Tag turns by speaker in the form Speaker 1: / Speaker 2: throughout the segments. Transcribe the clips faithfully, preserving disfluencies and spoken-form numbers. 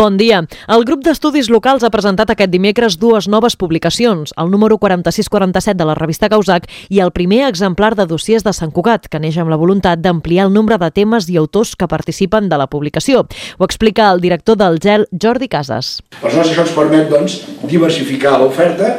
Speaker 1: Bon dia. El grup d'estudis locals ha presentat aquest dimecres dues noves publicacions, el número quaranta-sis quaranta-set de la revista Gauzac i el primer exemplar de dossiers de Sant Cugat, que neix amb la voluntat d'ampliar el nombre de temes i autors que participen de la publicació. Ho explica el director del G E L, Jordi Casas.
Speaker 2: Aleshores, això ens permet doncs, diversificar l'oferta,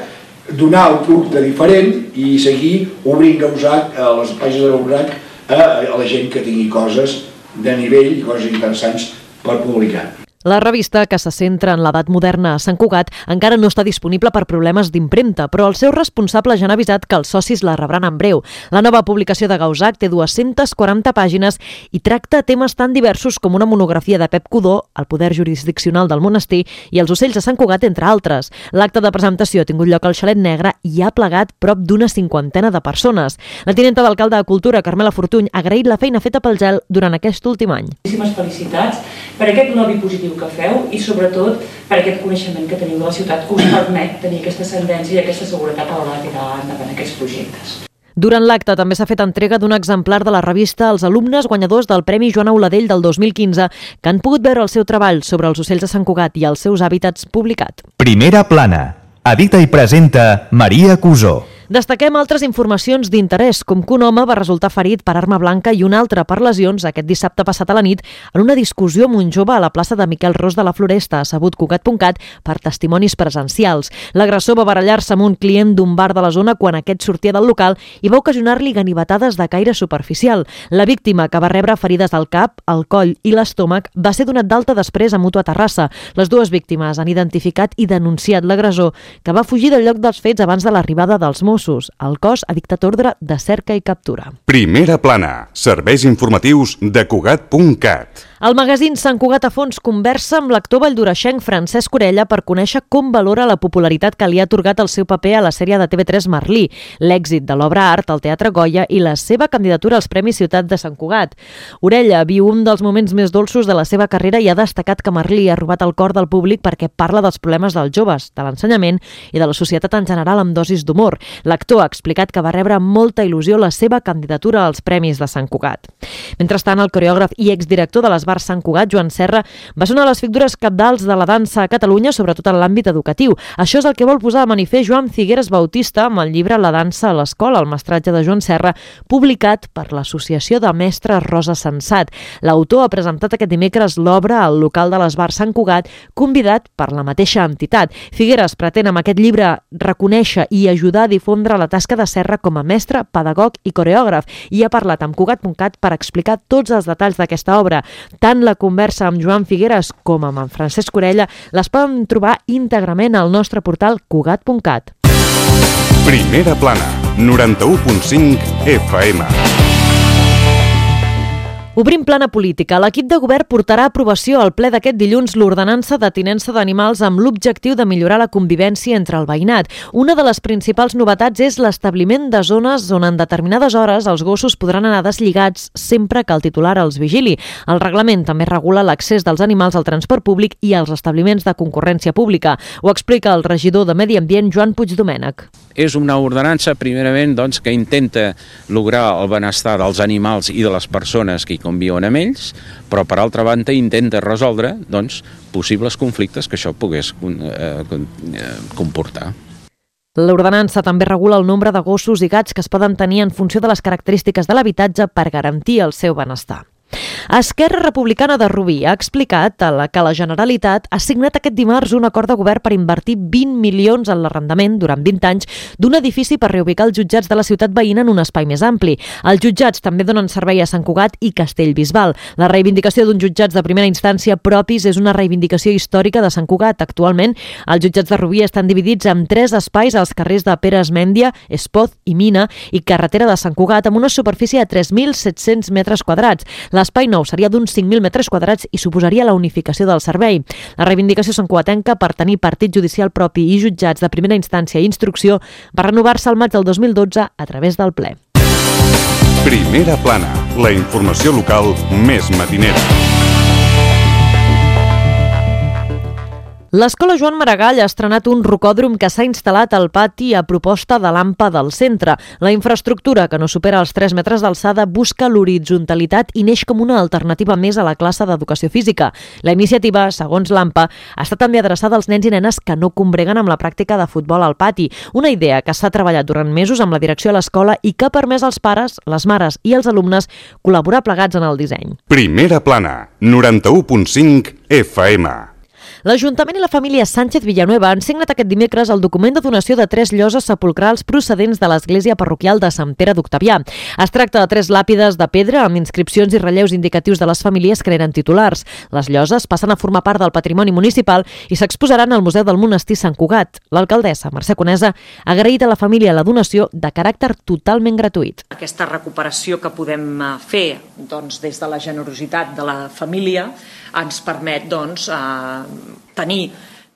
Speaker 2: donar un producte diferent i seguir obrint Gauzac, a les pàgines de Gauzac, a la gent que tingui coses de nivell i coses interessants per publicar.
Speaker 1: La revista, que se centra en l'edat moderna a Sant Cugat, encara no està disponible per problemes d'impremta, però el seu responsable ja han avisat que els socis la rebran en breu. La nova publicació de Gauzac té dues-centes quaranta pàgines i tracta temes tan diversos com una monografia de Pep Codó, el poder jurisdiccional del monestir i els ocells de Sant Cugat, entre altres. L'acte de presentació ha tingut lloc al Xalet Negre i ha plegat prop d'una cinquantena de persones. La tinenta d'alcalde de Cultura, Carmela Fortuny, ha agraït la feina feta pel G E L durant aquest últim any.
Speaker 3: Moltíssimes felicitats per aquest lobby positiu que feu i sobretot per aquest coneixement que teniu de la ciutat que us permet tenir aquesta ascendència i aquesta seguretat a l'hora de tirar endavant aquests projectes.
Speaker 1: Durant l'acte també s'ha fet entrega d'un exemplar de la revista als alumnes guanyadors del Premi Joan Auladell del dos mil quinze que han pogut veure el seu treball sobre els ocells de Sant Cugat i els seus hàbitats publicat.
Speaker 4: Primera plana. Edita i presenta Maria Cusó.
Speaker 1: Destaquem altres informacions d'interès, com que un home va resultar ferit per arma blanca i un altre per lesions aquest dissabte passat a la nit en una discussió amb un jove a la plaça de Miquel Ros de la Floresta, sabut Cugat punt cat per testimonis presencials. L'agressor va barallar-se amb un client d'un bar de la zona quan aquest sortia del local i va ocasionar-li ganivetades de caire superficial. La víctima, que va rebre ferides al cap, al coll i l'estómac, va ser donat d'alta després a Mútua Terrassa. Les dues víctimes han identificat i denunciat l'agressor, que va fugir del lloc dels fets abans de l'arribada dels Mossos. El cos ha dictat ordre de cerca i captura.
Speaker 5: Primera plana. Serveis informatius de Cugat punt cat.
Speaker 1: El magazín Sant Cugat a fons conversa amb l'actor valldoreixenc Francesc Orella per conèixer com valora la popularitat que li ha atorgat el seu paper a la sèrie de T V tres Merlí, l'èxit de l'obra art al Teatre Goya i la seva candidatura als Premis Ciutat de Sant Cugat. Orella viu un dels moments més dolços de la seva carrera i ha destacat que Merlí ha robat el cor del públic perquè parla dels problemes dels joves, de l'ensenyament i de la societat en general amb dosis d'humor. L'actor ha explicat que va rebre amb molta il·lusió la seva candidatura als Premis de Sant Cugat. Mentrestant, el coreògraf i exdirector de les Bars Sant Cugat, Joan Serra, va ser una de les figures cabdals de la dansa a Catalunya, sobretot en l'àmbit educatiu. Això és el que vol posar de manifest Joan Figueres Bautista amb el llibre La dansa a l'escola, el mestratge de Joan Serra, publicat per l'Associació de Mestres Rosa Sensat. L'autor ha presentat aquest dimecres l'obra al local de les Bars Sant Cugat, convidat per la mateixa entitat. Figueres pretén amb aquest llibre reconèixer i ajudar a difondre la tasca de Serra com a mestre, pedagog i coreògraf i ha parlat amb Cugat punt cat per explicar tots els detalls d'aquesta obra. Tant la conversa amb Joan Figueres com amb en Francesc Orella les poden trobar íntegrament al nostre portal Cugat punt cat.
Speaker 5: Primera plana, noranta-u punt cinc F M.
Speaker 1: Obrim plana política. L'equip de govern portarà a aprovació al ple d'aquest dilluns l'ordenança de tinença d'animals amb l'objectiu de millorar la convivència entre el veïnat. Una de les principals novetats és l'establiment de zones on en determinades hores els gossos podran anar deslligats sempre que el titular els vigili. El reglament també regula l'accés dels animals al transport públic i als establiments de concurrència pública. Ho explica el regidor de Medi Ambient, Joan Puigdomènech.
Speaker 6: És una ordenança, primerament, doncs, que intenta lograr el benestar dels animals i de les persones que hi conviuen amb ells, però per altra banda intenta resoldre doncs, possibles conflictes que això pogués eh, comportar.
Speaker 1: L'ordenança també regula el nombre de gossos i gats que es poden tenir en funció de les característiques de l'habitatge per garantir el seu benestar. Esquerra Republicana de Rubí ha explicat a la que la Generalitat ha signat aquest dimarts un acord de govern per invertir vint milions en l'arrendament durant vint anys d'un edifici per reubicar els jutjats de la ciutat veïna en un espai més ampli. Els jutjats també donen servei a Sant Cugat i Castellbisbal. La reivindicació d'uns jutjats de primera instància propis és una reivindicació històrica de Sant Cugat. Actualment, els jutjats de Rubí estan dividits en tres espais als carrers de Pere Esmèndia, Espoz i Mina i carretera de Sant Cugat amb una superfície de tres mil set-cents metres quadrats. L'espai nou seria d'uns cinc mil metres quadrats i suposaria la unificació del servei. La reivindicació santcugatenca per tenir partit judicial propi i jutjats de primera instància i instrucció va renovar-se al maig del dos mil dotze a través del ple.
Speaker 5: Primera plana, la informació local més matinera.
Speaker 1: L'Escola Joan Maragall ha estrenat un rocòdrom que s'ha instal·lat al pati a proposta de l'AMPA del centre. La infraestructura, que no supera els tres metres d'alçada, busca l'horitzontalitat i neix com una alternativa més a la classe d'educació física. La iniciativa, segons l'AMPA, està també adreçada als nens i nenes que no combreguen amb la pràctica de futbol al pati. Una idea que s'ha treballat durant mesos amb la direcció de l'escola i que ha permès als pares, les mares i els alumnes col·laborar plegats en el disseny.
Speaker 5: Primera plana, noranta-u punt cinc F M.
Speaker 1: L'Ajuntament i la família Sánchez Villanueva han signat aquest dimecres el document de donació de tres lloses sepulcrals procedents de l'església parroquial de Sant Pere d'Octavià. Es tracta de tres làpides de pedra amb inscripcions i relleus indicatius de les famílies que n'eren titulars. Les lloses passen a formar part del patrimoni municipal i s'exposaran al Museu del Monestir Sant Cugat. L'alcaldessa, Mercè Conesa, ha agraït a la família la donació de caràcter totalment gratuït.
Speaker 7: Aquesta recuperació que podem fer doncs, des de la generositat de la família ens permet doncs, eh, tenir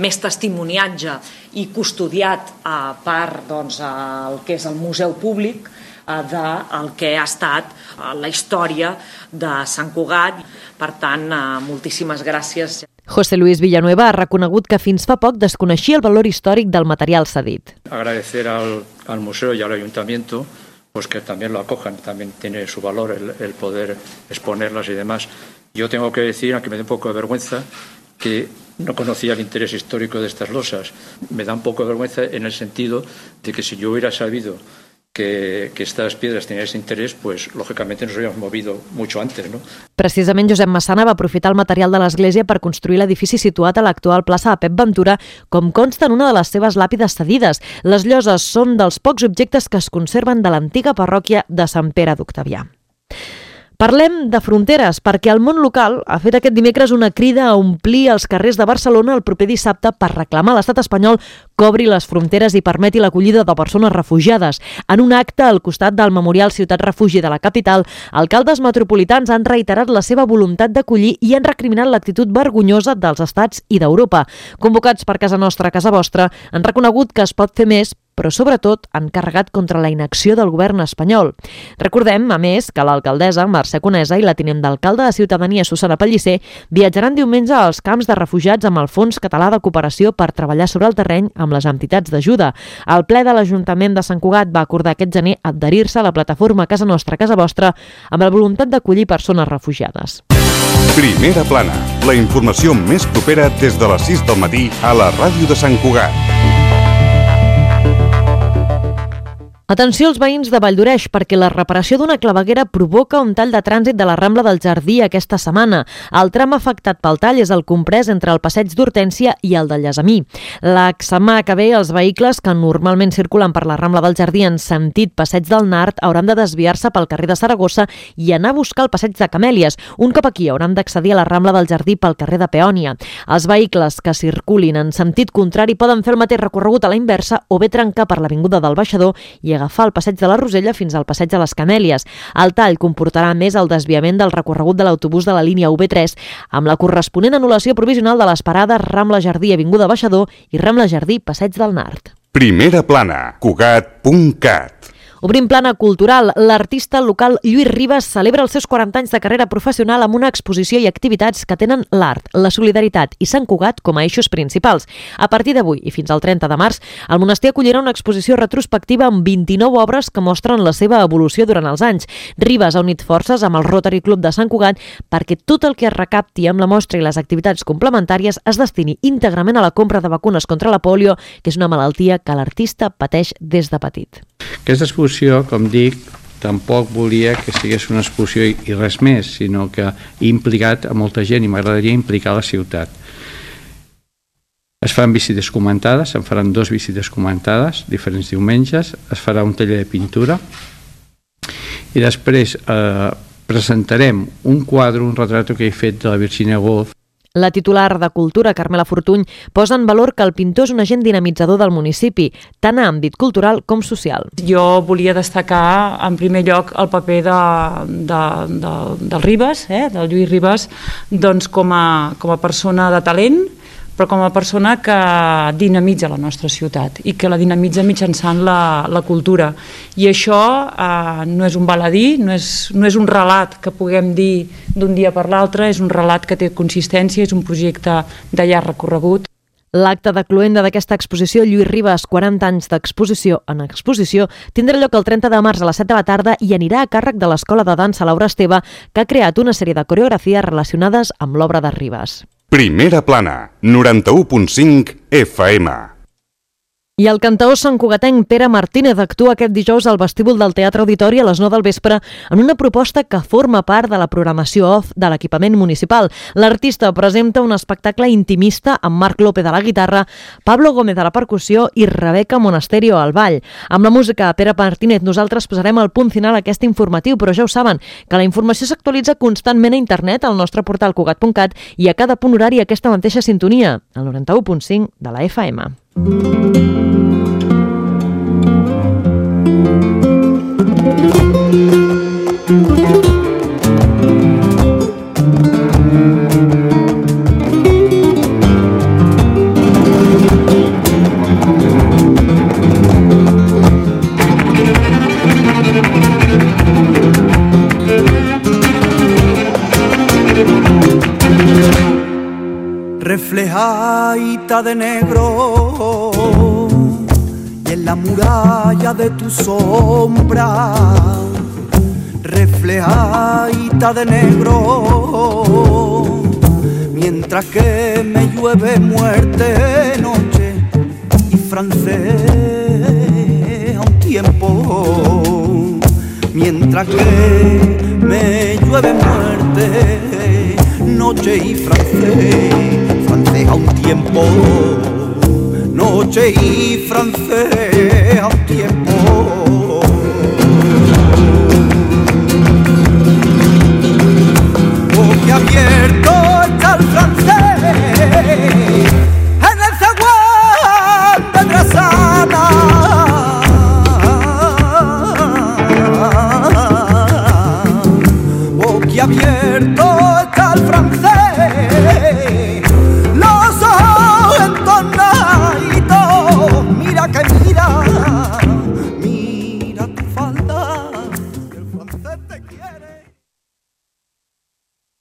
Speaker 7: més testimoniatge i custodiat eh, per doncs, el que és el museu públic eh, del que ha estat eh, la història de Sant Cugat. Per tant, eh, moltíssimes gràcies.
Speaker 1: José Luis Villanueva ha reconegut que fins fa poc desconeixia el valor històric del material cedit.
Speaker 8: Agradecer al, al museo y al ayuntamiento pues que también lo acojan, también tiene su valor el, el poder exponerlas y demás. Yo tengo que decir, aunque me dé un poco de vergüenza, que no conocía el interés histórico de estas losas. Me da un poco de vergüenza en el sentido de que si yo hubiera sabido que, que estas piedras tenían ese interés, pues lógicamente nos habríamos movido mucho antes, ¿no?
Speaker 1: Precisament Josep Massana va aprofitar el material de l'església per construir l'edifici situat a l'actual plaça de Pep Ventura, com consta en una de les seves làpides cedides. Les lloses són dels pocs objectes que es conserven de l'antiga parròquia de Sant Pere d'Octavià. Parlem de fronteres, perquè el món local ha fet aquest dimecres una crida a omplir els carrers de Barcelona el proper dissabte per reclamar a l'estat espanyol que obri les fronteres i permeti l'acollida de persones refugiades. En un acte al costat del Memorial Ciutat Refugi de la capital, alcaldes metropolitans han reiterat la seva voluntat d'acollir i han recriminat l'actitud vergonyosa dels estats i d'Europa. Convocats per Casa Nostra, Casa Vostra, han reconegut que es pot fer més, però sobretot han carregat contra la inacció del govern espanyol. Recordem, a més, que l'alcaldessa Mercè Conesa i la tinent d'alcalde de Ciutadania, Susana Pellicer, viatjaran diumenge als camps de refugiats amb el Fons Català de Cooperació per treballar sobre el terreny amb les entitats d'ajuda. El ple de l'Ajuntament de Sant Cugat va acordar aquest gener adherir-se a la plataforma Casa Nostra, Casa Vostra amb la voluntat d'acollir persones refugiades.
Speaker 5: Primera plana, la informació més propera des de les sis del matí a la ràdio de Sant Cugat.
Speaker 1: Atenció als veïns de Valldoreix, perquè la reparació d'una claveguera provoca un tall de trànsit de la Rambla del Jardí aquesta setmana. El tram afectat pel tall és el comprès entre el passeig d'Hortènsia i el de Llasamí. La setmana que ve, els vehicles que normalment circulen per la Rambla del Jardí en sentit passeig del Nart hauran de desviar-se pel carrer de Saragossa i anar a buscar el passeig de Camèlies. Un cop aquí hauran d'accedir a la Rambla del Jardí pel carrer de Peònia. Els vehicles que circulin en sentit contrari poden fer el mateix recorregut a la inversa o bé trencar per l'Avinguda del Baixador i agafar el passeig de la Rosella fins al passeig de les Camèlies. El tall comportarà més el desviament del recorregut de l'autobús de la línia U B tres amb la corresponent anul·lació provisional de les parades Rambla Jardí Avinguda Baixador i Rambla Jardí Passeig del Nart.
Speaker 5: Primera plana, cugat punt cat.
Speaker 1: Obrim plana cultural. L'artista local Lluís Ribas celebra els seus quaranta anys de carrera professional amb una exposició i activitats que tenen l'art, la solidaritat i Sant Cugat com a eixos principals. A partir d'avui i fins al trenta de març, el monestir acollirà una exposició retrospectiva amb vint-i-nou obres que mostren la seva evolució durant els anys. Ribas ha unit forces amb el Rotary Club de Sant Cugat perquè tot el que es recapti amb la mostra i les activitats complementàries es destini íntegrament a la compra de vacunes contra la pòlio, que és una malaltia que l'artista pateix des de petit.
Speaker 9: Aquesta exposició, com dic, tampoc volia que sigués una exposició i res més, sinó que he implicat a molta gent i m'agradaria implicar la ciutat. Es faran visites comentades, se'n faran dos visites comentades, diferents diumenges, es farà un taller de pintura i després eh, presentarem un quadre, un retrato que he fet de la Virginia Woolf.
Speaker 1: La titular de Cultura, Carmela Fortuny, posa en valor que el pintor és un agent dinamitzador del municipi, tant a àmbit cultural com social.
Speaker 3: Jo volia destacar, en primer lloc, el paper de, de, de, del Ribas, eh, del Lluís Ribas, doncs com a, com a persona de talent, però com a persona que dinamitza la nostra ciutat i que la dinamitza mitjançant la, la cultura. I això eh, no és un baladí, no és, no és un relat que puguem dir d'un dia per l'altre, és un relat que té consistència, és un projecte de llarg recorregut.
Speaker 1: L'acte de cloenda d'aquesta exposició, Lluís Ribas, quaranta anys d'exposició en exposició, tindrà lloc el trenta de març a les set de la tarda i anirà a càrrec de l'Escola de Dansa Laura Esteve, que ha creat una sèrie de coreografies relacionades amb l'obra de Ribas.
Speaker 5: Primera plana, noranta-u punt cinc F M.
Speaker 1: I el cantaor santcugatenc Pere Martínez actua aquest dijous al vestíbul del Teatre Auditori a les nou del vespre en una proposta que forma part de la programació off de l'equipament municipal. L'artista presenta un espectacle intimista amb Marc López a la guitarra, Pablo Gómez a la percussió i Rebeca Monasterio al ball. Amb la música de Pere Martínez nosaltres posarem el punt final a aquest informatiu, però ja ho saben, que la informació s'actualitza constantment a internet al nostre portal cugat punt cat i a cada punt horari aquesta mateixa sintonia, el noranta-u punt cinc de la F M.
Speaker 10: Reflejadita de negro y en la muralla de tu sombra, reflejadita de negro, mientras que me llueve muerte, noche y francés a un tiempo, mientras que me llueve muerte, noche y francés, francés a un tiempo, noche y francés a un tiempo.